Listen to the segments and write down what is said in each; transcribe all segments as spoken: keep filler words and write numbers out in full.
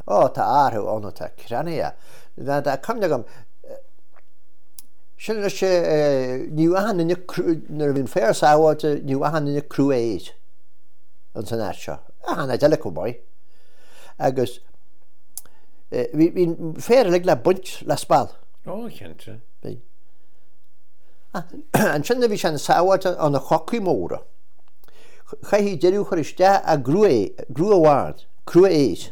Ó, tá athrú ann atá creannaithe. Tá cuimhne agam, sin anois, ní raibh achan duine, nuair a bhí an féar sábháilte, ní raibh achan duine crua aeir ins an áit seo. Achan áit eile chomh maith. Agus bhí an féar uilig le baint le speal. Ó, cinnte. Bhí. Ansin a bhí sé an-sábháilte ó na chocaí móra. Chaithfí deireadh a chur isteach i gcrú, crú amháin, crú aeir,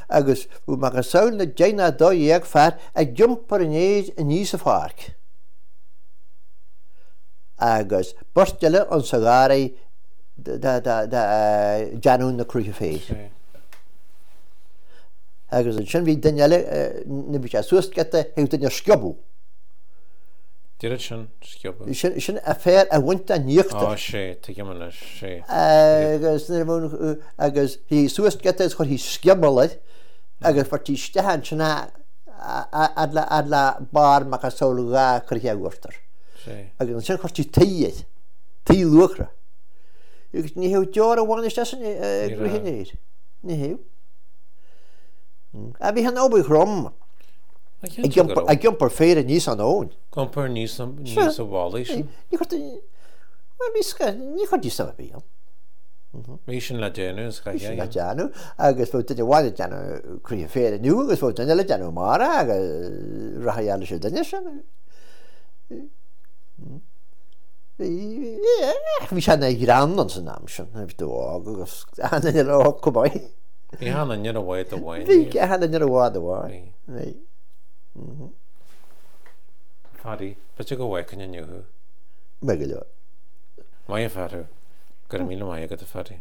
agus bhí macasamhail na deich ná dó dhéag fear ag iompar an fhéir aníos an pháirc agus beirt eile insa gharraí déanamh na cruithe féir. Agus ansin bhí duine eile, nuair bhí sé suas giota, théadh duine a sciobadh. Deireadh sin, sciobadh. Sin, sin an féar a bhaint den íochtar. Á, sé, tuigim anois, sé. Agus nuair a bhí, agus bhí suas giota agus chuirthí scioból air agus bheirtí isteach ansin é fhad le, fhad le barr macasamhail dhá chroithe uachtar. Sé. Agus ansin chuirtí tuí air, tuí luachra. Agus ní théadh deoir amháin isteach san gcruth an fhéir. Ní théadh. Bhí an obair throm ag iompar féir aníos an abhainn. Ag iompar aníos an mhullaigh sin. Ní chuirtí suim ar bith ann. Bhí sin le déanamh is Bhí sin le déanamh agus bheadh duine amháin ag déanamh croithe féir inniu agus bheadh duine eile ag déanamh amárach agus rachadh leis an duine sin. Bhí sé ina ghreann ins an am sin, bhí tú óg agus achan duine eile óg chomh maith. Bhí achan duine ar bhád amháin. Bhí achan duine ar bhád amháin. Bhí. Phaddy, b'fhéidir go bhfeicfinn inniu thú. Maith go leor. Maith an fear thú. Go raibh míle maith agat, a Phaddy.